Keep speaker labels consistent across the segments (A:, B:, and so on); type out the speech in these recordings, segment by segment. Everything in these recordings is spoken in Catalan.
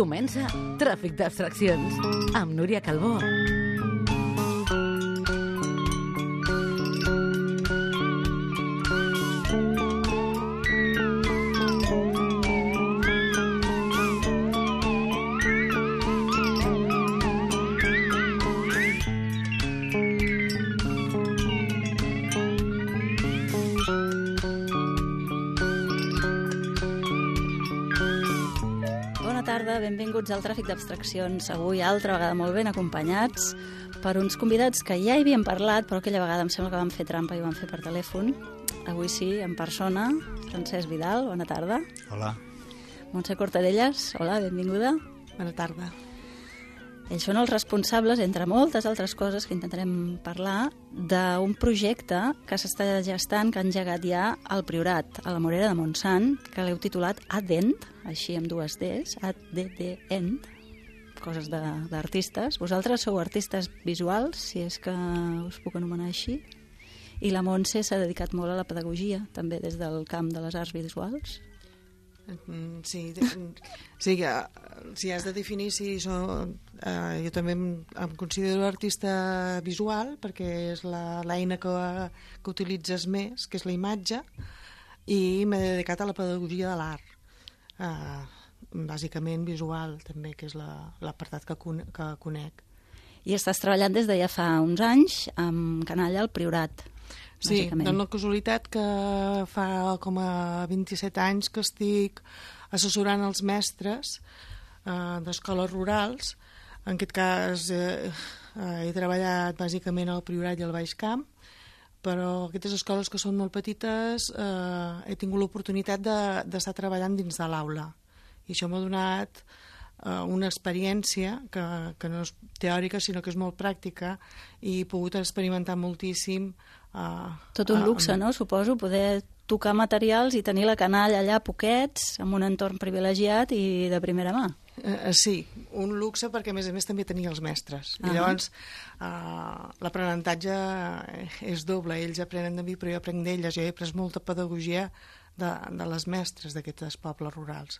A: Comença Tràfic d'Abstraccions amb Núria Calbó.
B: Benvinguts al Tràfic d'Abstraccions. Avui, altra vegada, molt ben acompanyats per uns convidats que ja hi havíem parlat, però aquella vegada em sembla que vam fer trampa i ho vam fer per telèfon. Avui sí, en persona. Francesc Vidal, bona tarda.
C: Hola.
B: Montse Cortadellas, hola, benvinguda.
D: Bona tarda.
B: Ells són els responsables, entre moltes altres coses que intentarem parlar, d'un projecte que s'està gestant, que ha engegat ja al Priorat, a la Morera de Montsant, que l'heu titulat Adent, així amb dues Ds, ADDENT, coses d'artistes. Vosaltres sou artistes visuals, si és que us puc anomenar així, i la Montse s'ha dedicat molt a la pedagogia, també des del camp de les arts visuals.
D: Sí, si has de definir si jo també em considero artista visual perquè és l'eina que utilitzes més, que és la imatge, i m'he dedicat a la pedagogia de l'art, bàsicament visual també, que és l'apartat que conec.
B: I estàs treballant des de ja fa uns anys amb Canalla al Priorat.
D: Sí, dona la casualitat que fa com a 27 anys que estic assessorant els mestres d'escoles rurals. En aquest cas he treballat bàsicament al Priorat i al Baix Camp, però aquestes escoles que són molt petites he tingut l'oportunitat d'estar treballant dins de l'aula. I això m'ha donat una experiència que no és teòrica sinó que és molt pràctica i he pogut experimentar moltíssim.
B: Tot un luxe, no? Suposo, poder tocar materials i tenir la canalla allà poquets, amb un entorn privilegiat i de primera mà.
D: Sí, un luxe perquè a més també tenia els mestres. I llavors l'aprenentatge és doble, ells aprenen de mi però jo aprenc d'elles. Jo he après molta pedagogia de les mestres d'aquests pobles rurals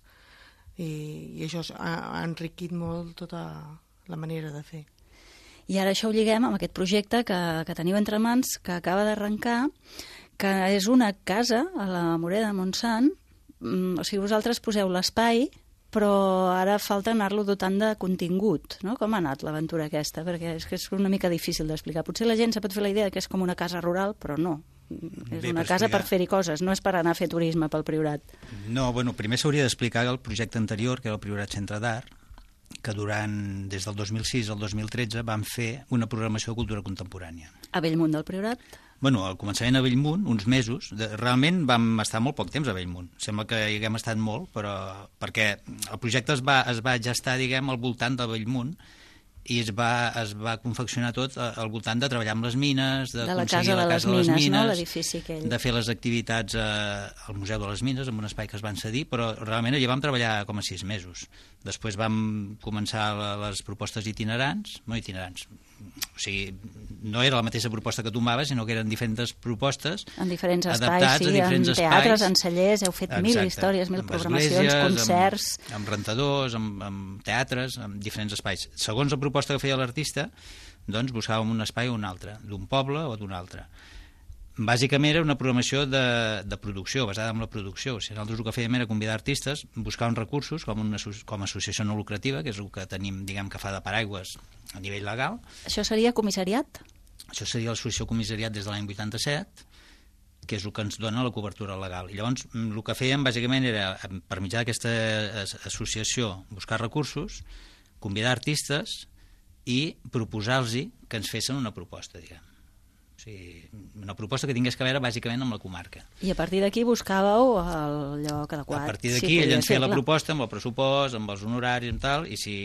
D: i això ha enriquit molt tota la manera de fer.
B: I ara això ho lliguem amb aquest projecte que teniu entre mans, que acaba d'arrencar, que és una casa a la Morera de Montsant. O sigui, vosaltres poseu l'espai, però ara falta anar-lo dotant de contingut, no? Com ha anat l'aventura aquesta? Perquè és que és una mica difícil d'explicar. Potser la gent se pot fer la idea que és com una casa rural, però no. És una casa per fer-hi coses, no és per anar a fer turisme pel Priorat.
C: No, bueno, primer s'hauria d'explicar el projecte anterior, que era el Priorat Centre d'Art, que des del 2006 al 2013 vam fer una programació de cultura contemporània.
B: A Bellmunt del Priorat?
C: Bueno, al començament a Bellmunt, uns mesos, realment vam estar molt poc temps a Bellmunt. Sembla que hi haguem estat molt, però perquè el projecte es va gestar, diguem, al voltant de Bellmunt i es va confeccionar tot al voltant de treballar amb les mines, d'aconseguir la casa de les mines,
B: no? L'edifici aquell.
C: De fer les activitats al Museu de les Mines, en un espai que es van cedir, però realment allà vam treballar com a 6 mesos. Després vam començar les propostes itinerants, o sigui, no era la mateixa proposta que tombaves, sinó que eren diferents propostes
B: en diferents
C: espais,
B: sí, en teatres, en cellers, heu fet mil històries, mil programacions, concerts...
C: Amb rentadors, amb teatres, amb diferents espais. Segons la proposta que feia l'artista, doncs buscàvem un espai o un altre, d'un poble o d'un altre. Bàsicament era una programació de producció, basada en la producció. O sigui, nosaltres el que fèiem era convidar artistes, buscar uns recursos com a associació no lucrativa, que és el que tenim, diguem, que fa de paraigües a nivell legal.
B: Això seria comissariat?
C: Això seria l'associació comissariat des de l'any 87, que és el que ens dona la cobertura legal. I llavors el que fèiem bàsicament era, per mitjà d'aquesta associació, buscar recursos, convidar artistes i proposar-los que ens fessin una proposta, diguem. O sigui, una proposta que tingués que veure bàsicament amb la comarca.
B: I a partir d'aquí buscàveu el lloc adequat.
C: A partir d'aquí ell ens feia la proposta amb el pressupost, amb els honoraris i tal, i si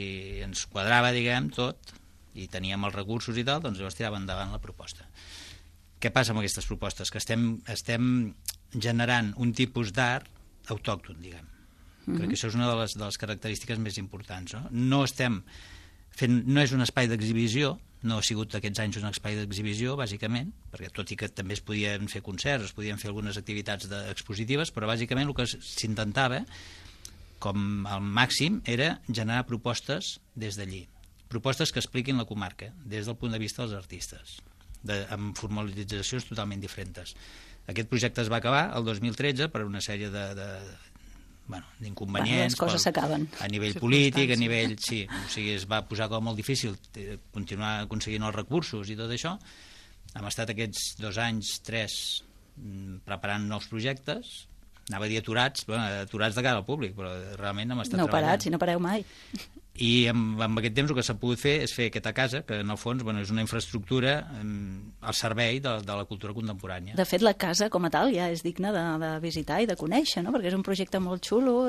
C: ens quadrava, diguem, tot, i teníem els recursos i tal, doncs llavors tirava endavant la proposta. Què passa amb aquestes propostes? Que estem generant un tipus d'art autòcton, diguem. Crec que això és una de les característiques més importants. No és un espai d'exhibició, no ha sigut aquests anys un espai d'exhibició, bàsicament, perquè tot i que també es podien fer concerts, es podien fer algunes activitats expositives, però bàsicament el que s'intentava com el màxim era generar propostes des d'allí, propostes que expliquin la comarca des del punt de vista dels artistes, amb formalitzacions totalment diferents. Aquest projecte es va acabar el 2013 per una sèrie d'inconvenients,
B: les coses s'acaben
C: a nivell polític, a nivell... Sí, o sigui, es va posar com molt difícil continuar aconseguint els recursos i tot això. Hem estat aquests 2 anys, 3, preparant nous projectes, anava a dir aturats de cara al públic, però realment hem estat treballant.
B: Si no pareu mai.
C: I amb aquest temps el que s'ha pogut fer és fer aquesta casa, que en el fons és una infraestructura al servei de la cultura contemporània.
B: De fet, la casa com a tal ja és digna de visitar i de conèixer, no? Perquè és un projecte molt xulo,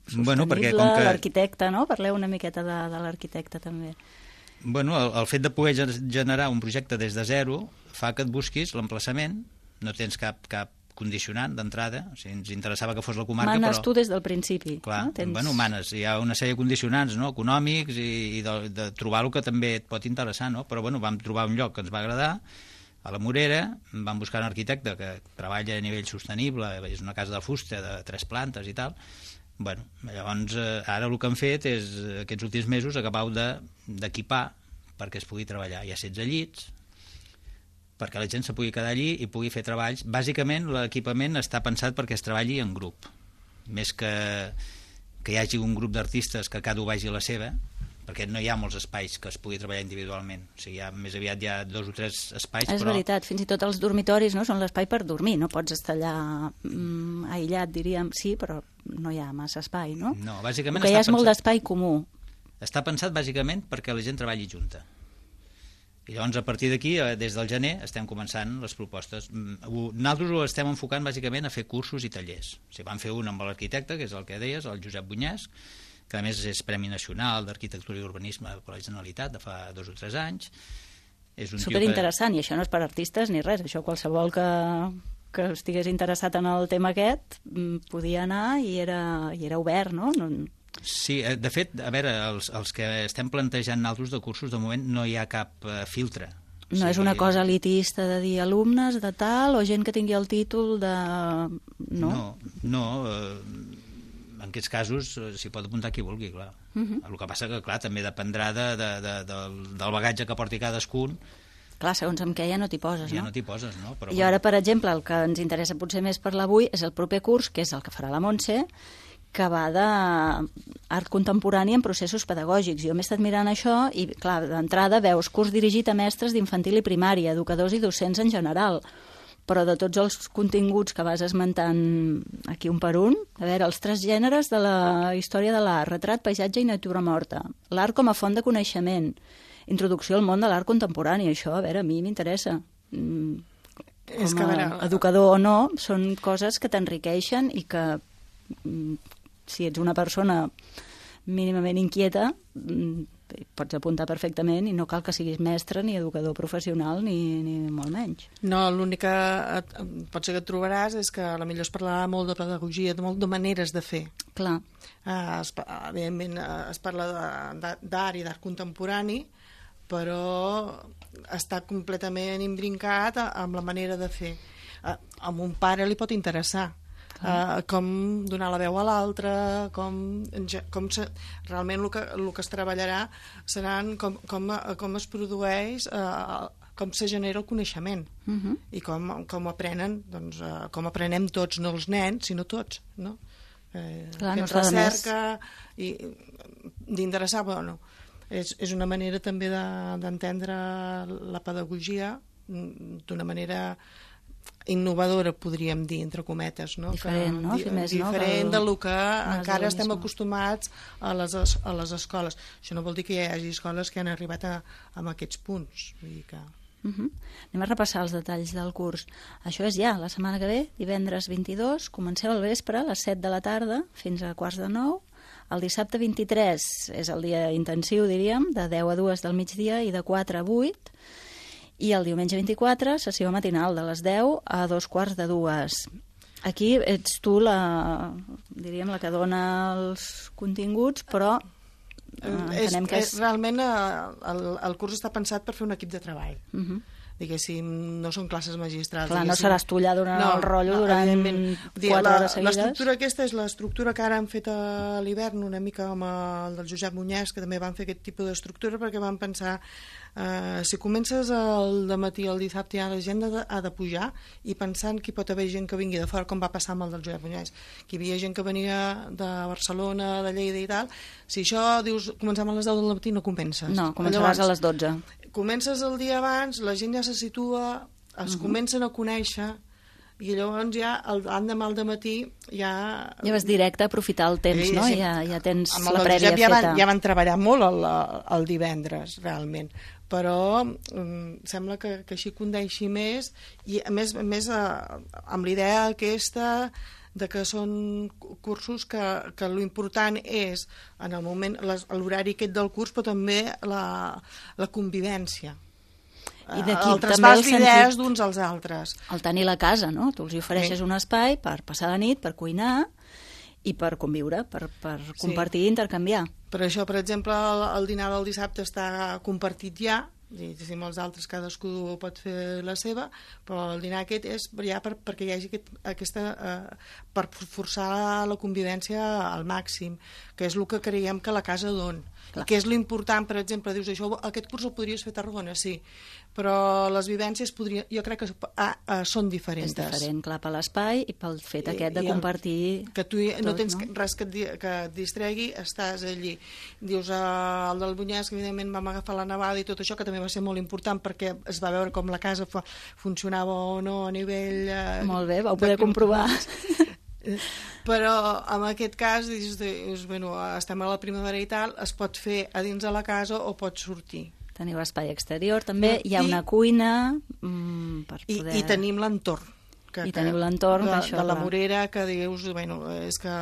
B: sostenible, l'arquitecte, no? Parleu una miqueta de l'arquitecte també.
C: El fet de poder generar un projecte des de zero fa que et busquis l'emplaçament, no tens cap condicionant d'entrada, o sigui, ens interessava que fos la comarca,
B: manes tu des del principi.
C: Clar, no? Manes, hi ha una sèrie de condicionants, no? Econòmics i de trobar el que també et pot interessar, no? Però vam trobar un lloc que ens va agradar, a la Morera, vam buscar un arquitecte que treballa a nivell sostenible, és una casa de fusta de 3 plantes i tal. Llavors, ara el que han fet és, aquests últims mesos, acabar d'equipar perquè es pugui treballar. Hi ha 16 llits, perquè la gent se pugui quedar allí i pugui fer treballs. Bàsicament, l'equipament està pensat perquè es treballi en grup, més que hi hagi un grup d'artistes que cada un vagi a la seva, perquè no hi ha molts espais que es pugui treballar individualment. O sigui, més aviat hi ha 2 o 3 espais.
B: És veritat, fins i tot els dormitoris són l'espai per dormir, no pots estar allà aïllat, diríem, sí, però no hi ha massa espai, no?
C: No, bàsicament...
B: El que hi ha és molt d'espai comú.
C: Està pensat bàsicament perquè la gent treballi junta. I llavors, a partir d'aquí, des del gener, estem començant les propostes. Nosaltres ho estem enfocant bàsicament a fer cursos i tallers. O sigui, vam fer un amb l'arquitecte, que és el que deies, el Josep Bunyàs, que a més és Premi Nacional d'Arquitectura i Urbanisme per la Generalitat de fa 2 o 3 anys.
B: Superinteressant, i això no és per artistes ni res, això qualsevol que estigués interessat en el tema aquest podia anar i era obert, no?
C: Sí, de fet, a veure, els que estem plantejant nosaltres de cursos, de moment no hi ha cap filtre.
B: No és una cosa elitista de dir alumnes de tal o gent que tingui el títol de...
C: No, en aquests casos s'hi pot apuntar qui vulgui, clar. El que passa que, clar, també dependrà del bagatge que porti cadascun.
B: Clar, segons amb què ja no t'hi poses, no?
C: Ja no t'hi poses, no? Però,
B: I ara, per exemple, el que ens interessa potser més parlar avui és el proper curs, que és el que farà la Montse, que va d'art contemporani en processos pedagògics. Jo m'he estat mirant això i, clar, d'entrada veus curs dirigit a mestres d'infantil i primària, educadors i docents en general, però de tots els continguts que vas esmentant aquí un per un, a veure, els 3 gèneres de la història de l'art, retrat, paisatge i natura morta, l'art com a font de coneixement, introducció al món de l'art contemporani, això, a veure, a mi m'interessa. Educador o no, són coses que t'enriqueixen i que si ets una persona mínimament inquieta pots apuntar perfectament i no cal que siguis mestre ni educador professional ni molt menys.
D: No, l'únic que potser que et trobaràs és que potser es parlarà molt de pedagogia, de molt de maneres de fer.
B: Clar.
D: Evidentment es parla d'art i d'art contemporani, però està completament imbrincat amb la manera de fer. A un pare li pot interessar com donar la veu a l'altre, realment el que es treballarà seran com es produeix, com se genera el coneixement i com aprenen, doncs, com aprenem tots, no els nens, sinó tots, no? Aquesta recerca i d'interessar, bueno, és una manera també d'entendre la pedagogia d'una manera innovadora, podríem dir, entre cometes, no?
B: Diferent, no?
D: Diferent del que encara estem acostumats a les escoles. Això no vol dir que hi hagi escoles que han arribat a aquests punts. Vull dir que...
B: Anem a repassar els detalls del curs. Això és ja la setmana que ve, divendres 22, comenceu al vespre a les 7 de la tarda fins a 8:45. El dissabte 23 és el dia intensiu, diríem, de 10 a 2 del migdia i de 4 a 8. I el diumenge 24, sessió matinal de les 10 a 2:45. Aquí ets tu diríem, la que dona els continguts, però entenem que és...
D: Realment el curs està pensat per fer un equip de treball. diguéssim, no són classes magistrals.
B: Clar, no seràs tu allà donant el rotllo durant 4 hores seguides.
D: L'estructura aquesta és l'estructura que ara han fet a l'hivern, una mica amb el del Josep Muñès, que també van fer aquest tipus d'estructura, perquè van pensar, si comences el dematí el dissabte, ja la gent ha de pujar, i pensant que hi pot haver gent que vingui de fora, com va passar amb el del Josep Muñès, que hi havia gent que venia de Barcelona, de Lleida i tal. Si això dius, comencem a les 10 del matí, no comences.
B: No, començaràs a les 12.
D: Comences el dia abans, la gent ja se situa, es comencen a conèixer, i llavors ja l'endemà al dematí ja
B: vas directe a aprofitar el temps, no?
D: Sí.
B: Ja tens la prèvia feta.
D: Ja van treballar molt el divendres, realment, però sembla que així condeixi més, i a més amb la idea aquesta de que són cursos que l'important és en el moment, l'horari aquest del curs, però també la convivència.
B: I d'aquí
D: el traspàs d'idees d'uns als altres.
B: El tenir la casa, no? Tu els ofereixes un espai per passar la nit, per cuinar i per conviure, per compartir i intercanviar.
D: Per això, per exemple, el dinar del dissabte està compartit ja, i amb els altres cadascú pot fer la seva, però el dinar aquest és ja perquè hi hagi per forçar la convivència al màxim, que és el que creiem que la casa dona. I que és l'important, per exemple, dius, aquest curs el podries fer a Tarragona, sí, però les vivències jo crec que són diferents.
B: És diferent, clar, per l'espai i pel fet aquest de compartir
D: que tu no tens res que et distregui, estàs allí. Dius, el del Bunyès, que evidentment vam agafar la nevada i tot això, que també va ser molt important perquè es va veure com la casa funcionava o no a nivell...
B: Molt bé, vau poder comprovar.
D: Però en aquest cas dius, bueno, estem a la primavera i tal, es pot fer a dins de la casa o pots sortir.
B: Teniu espai exterior també, hi ha una cuina per poder...
D: I tenim l'entorn.
B: I teniu l'entorn
D: de la Morera, que dius, bueno, és que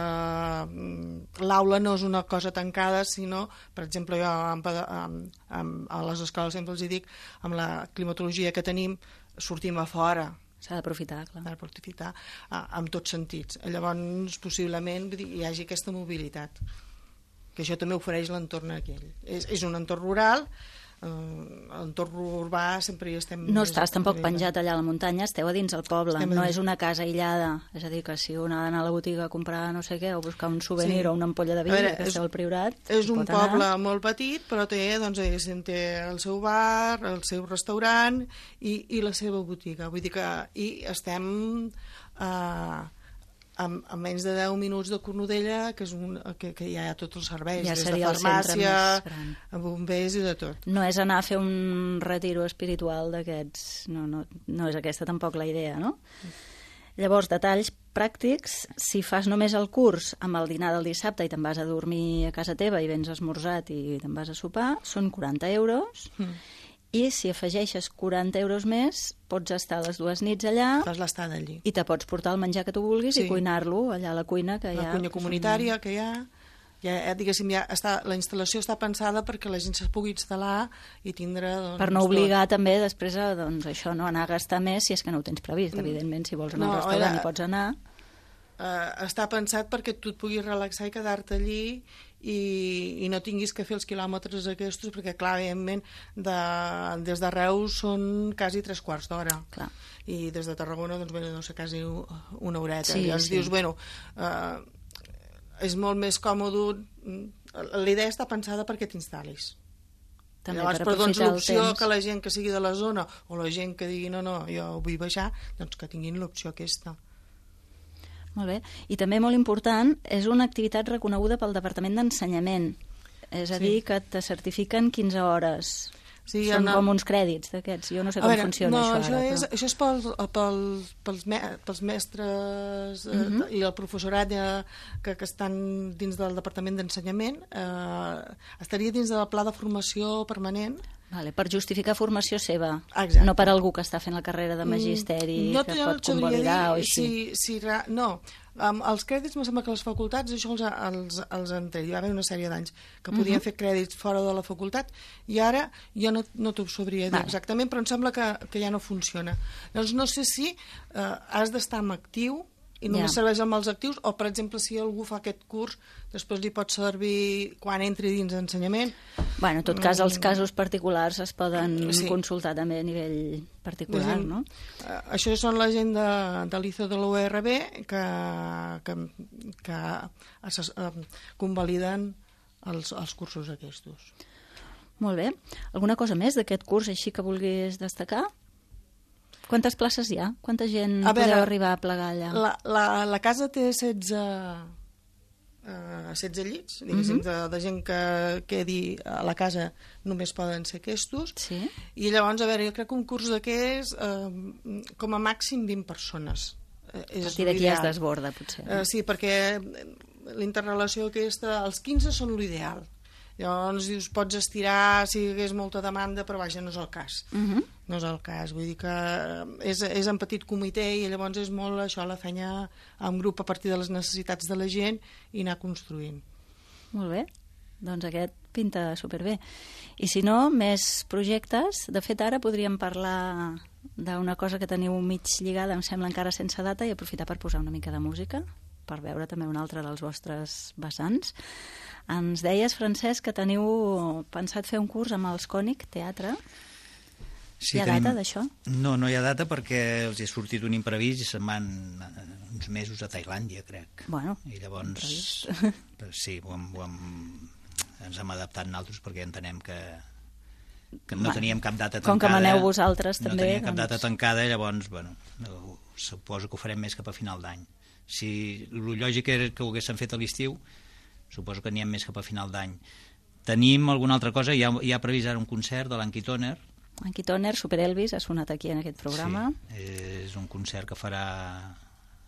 D: l'aula no és una cosa tancada, sinó, per exemple, jo a les escoles sempre els dic, amb la climatologia que tenim, sortim a fora.
B: S'ha d'aprofitar, clar.
D: S'ha d'aprofitar en tots sentits. Llavors, possiblement, hi hagi aquesta mobilitat, que això també ofereix l'entorn aquell. És un entorn rural, l'entorn urbà sempre hi estem...
B: No estàs tampoc penjat allà a la muntanya, esteu a dins del poble, no és una casa aïllada, és a dir, que si un ha d'anar a la botiga a comprar no sé què, o buscar un souvenir o una ampolla de vi, que esteu al Priorat...
D: És un poble molt petit, però té el seu bar, el seu restaurant i la seva botiga. Vull dir que estem a menys de 10 minuts de Cornudella, que hi ha tots els serveis,
B: ja
D: des de farmàcia, bombers i de tot.
B: No és anar a fer un retiro espiritual d'aquests, no és aquesta tampoc la idea, no? Llavors, detalls pràctics, si fas només el curs amb el dinar del dissabte i te'n vas a dormir a casa teva i vens esmorzat i te'n vas a sopar, són 40 euros, i si afegeixes 40 euros més, pots estar les 2 nits allà.
D: Fas l'estada allí.
B: I te pots portar el menjar que tu vulguis i cuinar-lo allà a la cuina que hi ha.
D: La cuina comunitària que hi ha. Diguéssim, la instal·lació està pensada perquè la gent se pugui instal·lar i tindre...
B: Per no obligar també després a anar a gastar més si és que no ho tens previst. Evidentment, si vols anar al restaurant hi pots anar.
D: Està pensat perquè tu et puguis relaxar i quedar-te allí i no tinguis que fer els quilòmetres aquests, perquè clar, evidentment des de Reus són quasi 3/4 d'hora i des de Tarragona no sé, quasi una horeta. Llavors dius, bueno, és molt més còmode, la idea està pensada perquè t'instal·lis. Llavors, però l'opció que la gent que sigui de la zona o la gent que digui no, jo vull baixar, doncs que tinguin l'opció aquesta.
B: Molt bé. I també molt important, és una activitat reconeguda pel Departament d'Ensenyament. És a dir, que te certifiquen 15 hores. Són com uns crèdits d'aquests. Jo no sé com funciona això ara.
D: Això és pels mestres i el professorat que estan dins del Departament d'Ensenyament. Estaria dins del pla de formació permanent.
B: Per justificar formació seva, no per algú que està fent la carrera de magisteri que pot convalidar o així.
D: No, els crèdits em sembla que les facultats això els han tret. Hi va haver una sèrie d'anys que podien fer crèdits fora de la facultat i ara jo no t'ho sabria dir exactament, però em sembla que ja no funciona. Llavors no sé si has d'estar en actiu i només serveix amb els actius, o per exemple si algú fa aquest curs després li pot servir quan entri dins d'ensenyament.
B: Bueno, en tot cas, els casos particulars es poden consultar també a nivell particular, no?
D: Això són la gent de l'ICO de l'URB que convaliden els cursos aquests.
B: Molt bé. Alguna cosa més d'aquest curs així que vulguis destacar? Quantes places hi ha? Quanta gent podeu arribar a plegar allà?
D: La casa té 16 llits, diguéssim, de gent que quedi a la casa només poden ser aquests.
B: Sí. I
D: llavors, a veure, jo crec que un curs d'aquests, com a màxim 20 persones.
B: A partir d'aquí es desborda, potser.
D: Sí, perquè l'interrelació aquesta, els 15 són l'ideal. Llavors dius, pots estirar si hi hagués molta demanda, però vaja, no és el cas. No és el cas, vull dir que és en petit comitè i llavors és molt això, la feina en grup a partir de les necessitats de la gent i anar construint.
B: Molt bé, doncs aquest pinta superbé. I si no, més projectes. De fet, ara podríem parlar d'una cosa que teniu mig lligada, em sembla encara sense data, i aprofitar per posar una mica de música, per veure també un altre dels vostres vessants. Ens deies, Francesc, que teniu pensat fer un curs amb els Cònic Teatre.
C: Sí,
B: hi ha data d'això?
C: No hi ha data perquè els hi ha sortit un imprevist i se'n van uns mesos a Tailàndia, crec.
B: Bueno,
C: i llavors sí, ens hem adaptat nosaltres perquè entenem que no teníem cap data tancada.
B: Com que maneu vosaltres també.
C: No teníem cap data tancada i llavors, suposo que ho farem més cap a final d'any. Si el lògic era que ho haguessin fet a l'estiu, suposo que n'hi ha més cap a final d'any. Tenim alguna altra cosa, hi ha previst ara un concert de l'Anki Toner.
B: Anki Toner, Super Elvis, ha sonat aquí en aquest programa.
C: Sí, és un concert que farà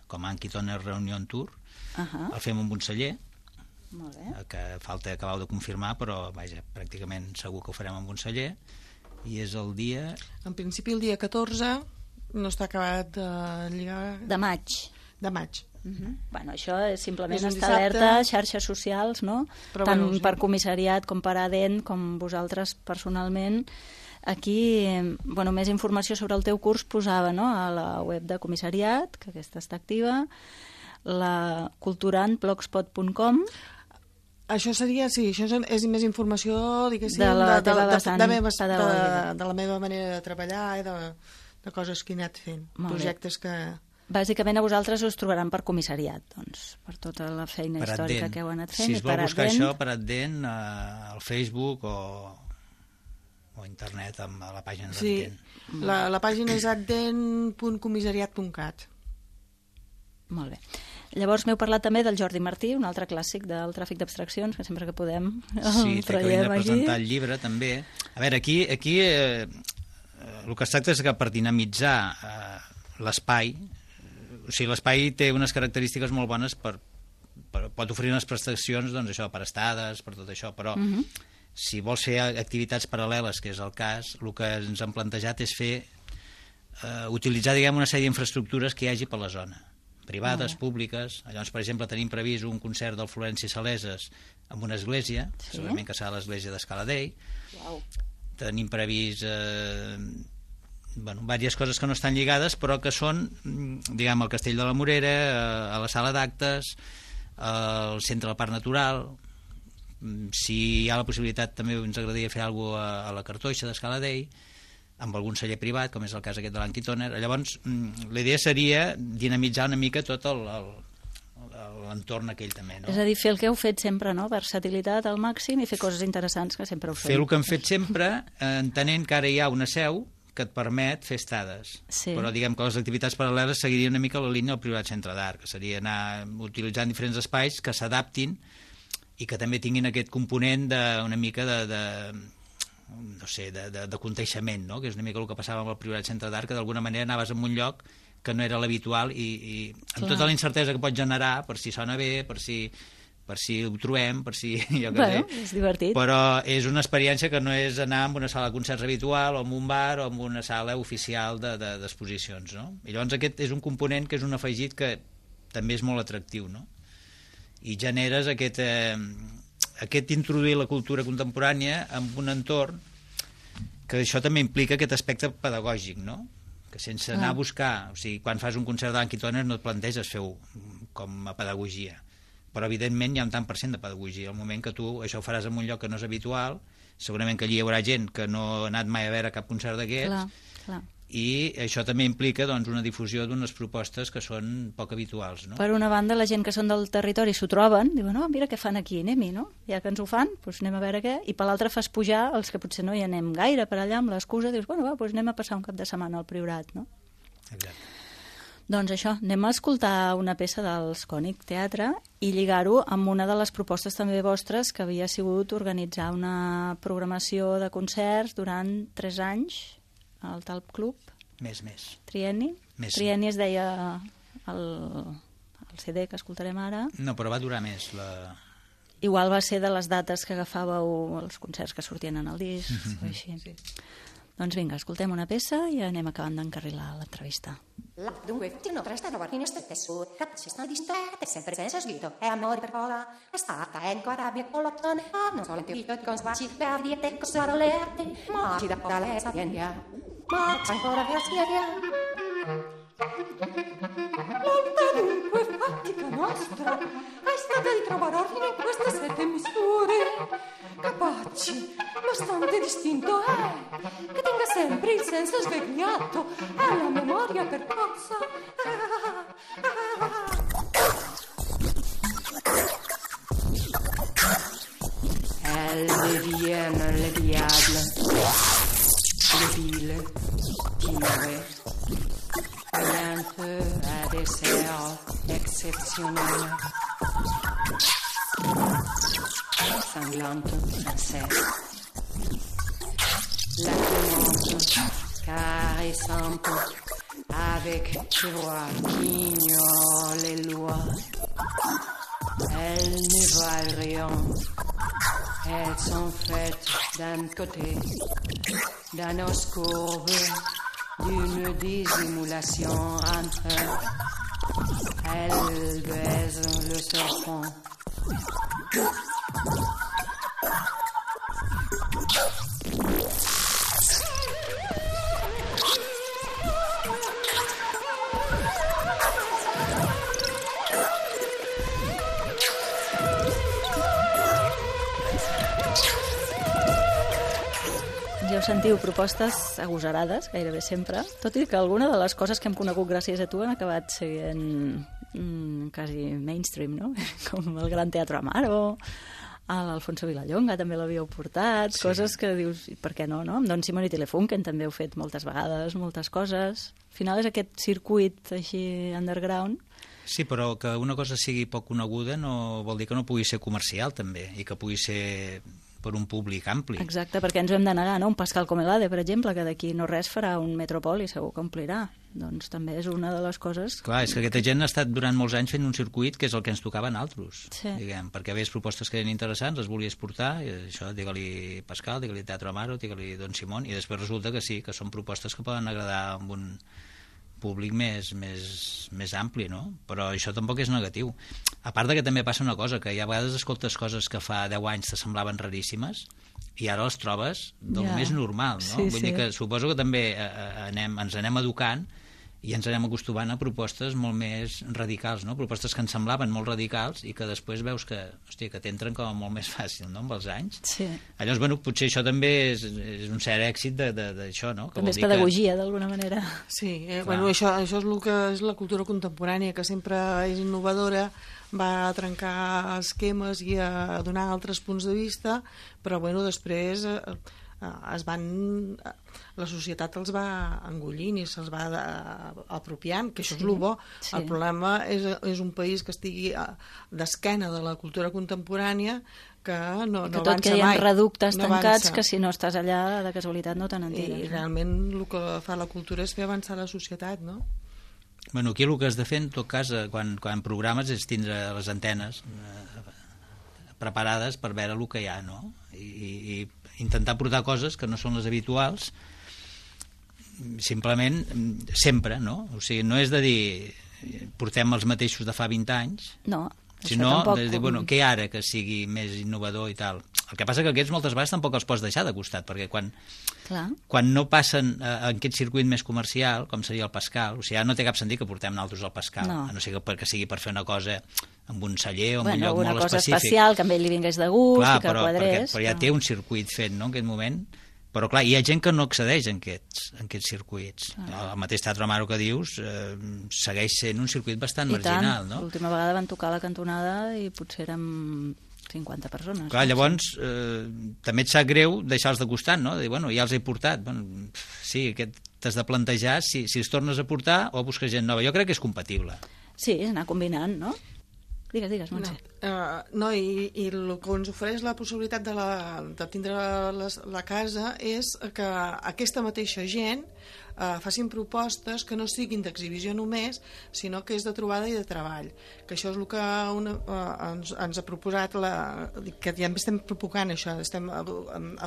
C: com a Anki Toner Reunion Tour. El fem amb un celler, que falta acabar de confirmar, però vaja, pràcticament segur que ho farem amb un celler. I és el dia...
D: En principi el dia 14, no està acabat de lligar...
B: De maig.
D: De maig.
B: Bueno, això és simplement estar alerta, xarxes socials, no? Tant per comissariat com per ADEN, com vosaltres personalment. Aquí, més informació sobre el teu curs posava a la web de comissariat, que aquesta està activa, la culturantblogspot.com.
D: Això seria, sí, això és més informació, diguéssim,
B: de la
D: meva manera de treballar i de coses que he anat fent, projectes que...
B: Bàsicament a vosaltres us trobaran per comissariat, doncs, per tota la feina històrica que heu anat fent.
C: Si es vol buscar això per ADEN, al Facebook o a internet, a la pàgina d'ADEN.
D: Sí, la pàgina és aden.comissariat.cat.
B: Molt bé. Llavors m'heu parlat també del Jordi Martí, un altre clàssic del tràfic d'abstraccions, que sempre que podem
C: el traiem aquí. Sí, té que venir a presentar el llibre, també. A veure, aquí el que es tracta és que per dinamitzar l'espai, o sigui, l'espai té unes característiques molt bones pot oferir unes prestacions, doncs això, per estades, per tot això, però si vols fer activitats paral·leles, que és el cas, el que ens han plantejat és utilitzar, diguem, una sèrie d'infraestructures que hi hagi per la zona, privades, públiques. Llavors, per exemple, tenim previst un concert del Florenci Saleses en una església, segurament que serà l'església d'Escala Dei. Tenim previst diverses coses que no estan lligades, però que són, diguem, al Castell de la Morera, a la sala d'actes, al centre del Parc Natural. Si hi ha la possibilitat, també ens agradaria fer alguna cosa a la Cartoixa d'Escala Dei, amb algun celler privat, com és el cas aquest de l'Anki Toner. Llavors, la idea seria dinamitzar una mica tot l'entorn aquell també, no?
B: És a dir, fer el que heu fet sempre, no? Versatilitat al màxim i fer coses interessants que sempre heu fet.
C: Fer el que hem fet sempre, entenent que ara hi ha una seu que et permet fer estades. Però diguem que les activitats paral·leles seguirien una mica la línia del privat centre d'art, que seria anar utilitzant diferents espais que s'adaptin i que també tinguin aquest component una mica de conteixement, no? Que és una mica el que passava amb el privat centre d'art, que d'alguna manera anaves a un lloc que no era l'habitual i amb tota la incertesa que pot generar, per si sona bé, per si ho trobem, per si...
B: és divertit.
C: Però és una experiència que no és anar a una sala de concerts habitual o en un bar o en una sala oficial d'exposicions, no? I llavors aquest és un component que és un afegit que també és molt atractiu, no? I generes aquest introduir la cultura contemporània en un entorn que això també implica aquest aspecte pedagògic, no? Que sense anar a buscar... O sigui, quan fas un concert d'Anki Toner no et planteges fer-ho com a pedagogia, però evidentment hi ha un tant per cent de pedagogia. Al moment que tu això ho faràs en un lloc que no és habitual, segurament que allí hi haurà gent que no ha anat mai a veure cap concert d'aquests,
B: Clar.
C: i això també implica doncs, una difusió d'unes propostes que són poc habituals, no?
B: Per una banda, la gent que són del territori s'ho troben, diuen, no, mira què fan aquí, anem-hi, no? Ja que ens ho fan, doncs anem a veure què, i per l'altra fas pujar els que potser no hi anem gaire per allà amb l'excusa, dius, bueno, va, doncs anem a passar un cap de setmana al Priorat, no?
C: Exacte.
B: Doncs això, anem a escoltar una peça dels Cònic Teatre i lligar-ho amb una de les propostes també vostres que havia sigut organitzar una programació de concerts durant 3 anys al Talp Club.
C: Més.
B: Trienni?
C: Més.
B: Trienni es deia el CD que escoltarem ara.
C: No, però va durar més.
B: Igual va ser de les dates que agafàveu els concerts que sortien en el disc, o així.
D: Sí.
B: Doncs vinga, escoltem una peça i anem acabant d'encarrilar l'entrevista.
E: Dunque, tutti non restano guardini stette su, si stanno distratte, sempre senza sguido, e amore per vola, è stata ancora rabbia con l'ottone, non solo intento con sguardi, per dirti cosa volete, ma ci da lei sta via, ma c'è ancora via via. Molta dunque fatica nostra è stata di trovare ordine in queste 7 misure, capaci, bastante distinto è, che tenga sempre il senso svegliato e la memoria percossa. Elles deviennent le diable, le vile, tigre, vaillante à des serres exceptionnelles, sanglante, inceste, latinante, caressante, avec des voix qui ignorent les lois. Elles ne valent rien. Elles sont faites d'un côté, d'un os courbe, d'une dissimulation entre. Elles baisent le serpent.
B: Ja ho sentiu, propostes agosarades, gairebé sempre, tot i que alguna de les coses que hem conegut gràcies a tu han acabat sent quasi mainstream, no? Com el Gran Teatre Amaro, l'Alfonso Vilallonga també l'havíeu portat, sí. Coses que dius, per què no, no? Amb Don Simón i Telefunken també heu fet moltes vegades, moltes coses. Al final és aquest circuit així underground.
C: Sí, però que una cosa sigui poc coneguda no vol dir que no pugui ser comercial també, i que pugui ser per un públic ampli.
B: Exacte, perquè ens ho hem de negar, no? Un Pascal Comelade, per exemple, que d'aquí no res farà un Metropol i segur que omplirà. Doncs també és una de les coses...
C: Clar, és que aquesta gent ha estat durant molts anys fent un circuit que és el que ens tocava a nosaltres,
B: sí.
C: Diguem, perquè veies propostes que eren interessants, les volies portar, i això, digue-li Pascal, digue-li Teatre Amaro, digue-li Don Simón, i després resulta que sí, que són propostes que poden agradar amb un públic més ampli, no? Però això tampoc és negatiu. A part de que també passa una cosa, que a vegades escoltes coses que fa 10 anys te semblaven raríssimes i ara les trobes del més normal, no?
B: Sí,
C: Vull dir que suposo que també ens anem educant i ens anem acostumant a propostes molt més radicals, no? Propostes que ens semblaven molt radicals i que després veus que, hòstia, que t'entren com a molt més fàcil, no?, amb els anys.
B: Sí.
C: Llavors, bueno, potser això també és un cert èxit d'això, no? Que
B: també és pedagogia, d'alguna manera.
D: Sí, bueno, això és el que és la cultura contemporània, que sempre és innovadora, va a trencar esquemes i a donar altres punts de vista, però bueno, després la societat els va engollint i se'ls va apropiant, que això és el bo. Sí. El problema és un país que estigui d'esquena de la cultura contemporània, que no avança mai. Que
B: tot que hi ha reductes tancats que si no estàs allà de casualitat no te n'entires.
D: I realment el que fa la cultura és fer avançar la societat, no?
C: Bueno, aquí el que has de fer, en tot cas, quan programes, és tindre les antenes preparades per veure el que hi ha, no? I intentar portar coses que no són les habituals, simplement sempre, no? O sigui, no és de dir portem els mateixos de fa 20 anys,
B: no.
C: Si no, bueno, què ara que sigui més innovador i tal? El que passa que aquests moltes vegades tampoc els pots deixar de costat, perquè quan no passen en aquest circuit més comercial, com seria el Pascal, o sigui, ja no té cap sentit que portem naltros al Pascal, a no ser que sigui per fer una cosa amb un celler o en un lloc molt específic.
B: Una cosa especial, que a ell li vingués de gust i que quadrés.
C: Però ja té un circuit fet, no?, en aquest moment. Però, clar, hi ha gent que no accedeix en aquests circuits. El mateix Teatre Amaro que dius segueix sent un circuit bastant marginal, no?
B: L'última vegada van tocar la cantonada i potser érem 50 persones.
C: Clar, llavors, també et sap greu deixar-los de costat, no? De dir, bueno, ja els he portat. Bueno, sí, t'has de plantejar si els tornes a portar o a buscar gent nova. Jo crec que és compatible.
B: Sí, és anar combinant, no? Digues, Montse.
D: I el que ens ofereix la possibilitat de tindre la casa és que aquesta mateixa gent facin propostes que no siguin d'exhibició només, sinó que és de trobada i de treball. Que això és el que ens ha proposat, que ja estem propagant això, estem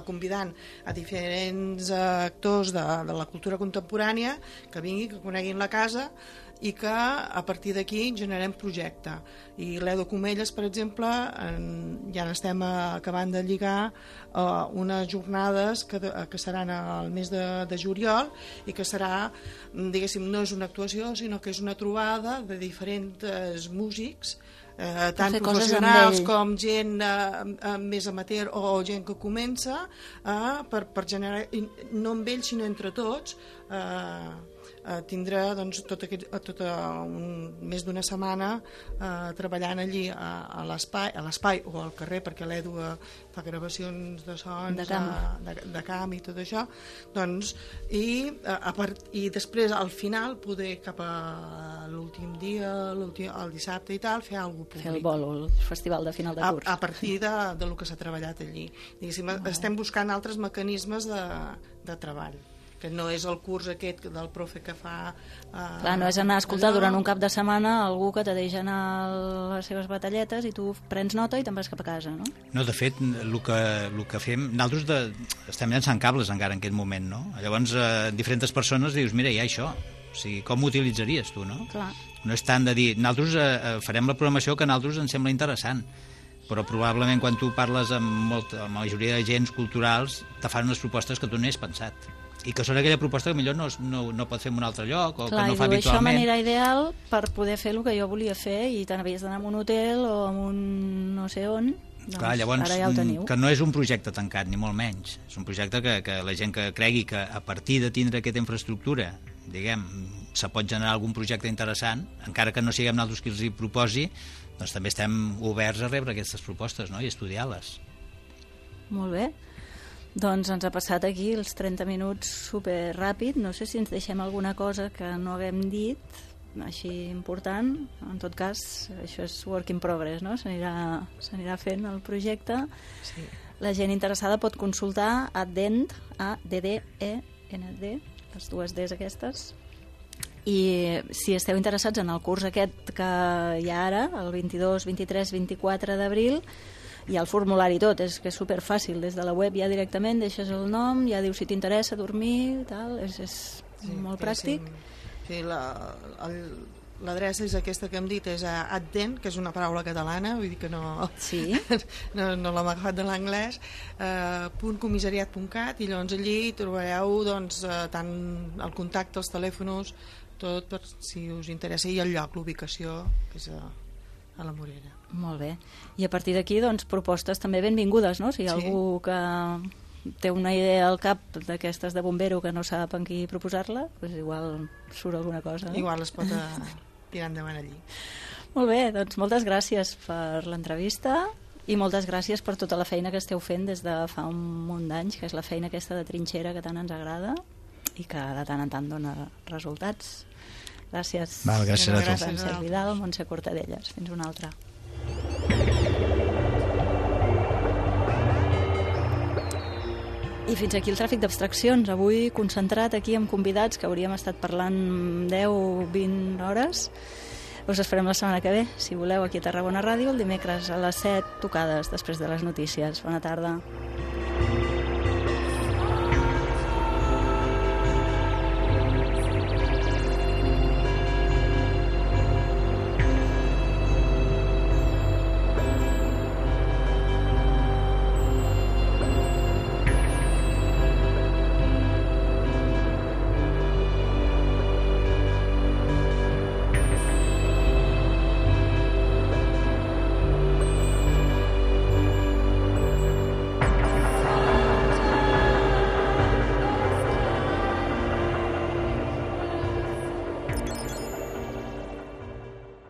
D: convidant a diferents actors de la cultura contemporània que vinguin, que coneguin la casa i que a partir d'aquí generem projecte. I l'Edo Comelles, per exemple, ja n'estem acabant de lligar unes jornades que seran al mes de juliol i que serà, diguéssim, no és una actuació, sinó que és una trobada de diferents músics, tant professionals com gent més amateur o gent que comença, per generar, no amb ells sinó entre tots, tindrà tot més d'una setmana treballant allí a l'espai o al carrer, perquè l'Edu fa gravacions de sons de camp i tot això, doncs, i després al final poder cap a l'últim dia, el dissabte i tal, fer alguna cosa públic.
B: Fer el bolo, el festival de final de curs.
D: A partir del que s'ha treballat allí. Estem buscant altres mecanismes de treball, que no és el curs aquest del profe que fa...
B: Clar, no és anar a escoltar durant un cap de setmana algú que te deixa anar a les seves batalletes i tu prens nota i te'n vas cap a casa, no?
C: No, de fet, el que fem... Nosaltres estem llançant cables encara en aquest moment, no? Llavors, diferents persones dius, mira, hi ha això. O sigui, com ho utilitzaries tu, no?
B: Clar.
C: No és tant de dir... Nosaltres farem la programació que a nosaltres ens sembla interessant, però probablement quan tu parles amb la majoria de agents culturals te fan unes propostes que tu no has pensat i que són aquella proposta que millor no pot fer en un altre lloc o
B: clar,
C: que no fa habitualment.
B: Això m'anirà ideal per poder fer el que jo volia fer i te n'havies d'anar a un hotel o a un no sé on. Doncs clar, llavors, ara ja ho teniu.
C: Que no és un projecte tancat, ni molt menys. És un projecte que la gent que cregui que a partir de tindre aquesta infraestructura, diguem, se pot generar algun projecte interessant, encara que no siguem nosaltres qui els hi proposi, doncs també estem oberts a rebre aquestes propostes, no?, i estudiar-les.
B: Molt bé. Doncs ens ha passat aquí els 30 minuts super ràpid. No sé si ens deixem alguna cosa que no haguem dit, així important. En tot cas, això és work in progress, no? S'anirà fent el projecte. Sí. La gent interessada pot consultar ADDEND, A-D-D-E-N-D, les dues Ds aquestes. I si esteu interessats en el curs aquest que hi ha ara, el 22, 23, 24 d'abril, hi ha el formulari tot, és que és superfàcil, des de la web ja directament deixes el nom, ja dius si t'interessa dormir, tal, és molt pràctic.
D: Sí, l'adreça és aquesta que hem dit, és ADDEN, que és una paraula catalana, vull dir que no,
B: sí.
D: no l'hem agafat de l'anglès, .comissariat.cat, i llavors allí trobareu doncs, tant el contacte, els telèfons, tot per si us interessa, i el lloc, l'ubicació, que és a la Morera.
B: Molt bé. I a partir d'aquí, doncs, propostes també benvingudes, no? Si hi ha algú que té una idea al cap d'aquestes de bombero que no sap en qui proposar-la, doncs igual surt alguna cosa. No?
D: Igual es pot tirar endavant allí.
B: Molt bé, doncs moltes gràcies per l'entrevista i moltes gràcies per tota la feina que esteu fent des de fa un munt d'anys, que és la feina aquesta de trinxera que tant ens agrada i que de tant en tant dona resultats. Gràcies.
C: Val, gràcies a tu.
B: Francesc Vidal, Montse Cortadellas. Fins una altra. I fins aquí el tràfic d'abstraccions. Avui concentrat aquí amb convidats que hauríem estat parlant 10 o 20 hores. Us esperem la setmana que ve, si voleu, aquí a Tarragona Ràdio, el dimecres a les 7 tocades després de les notícies. Bona tarda.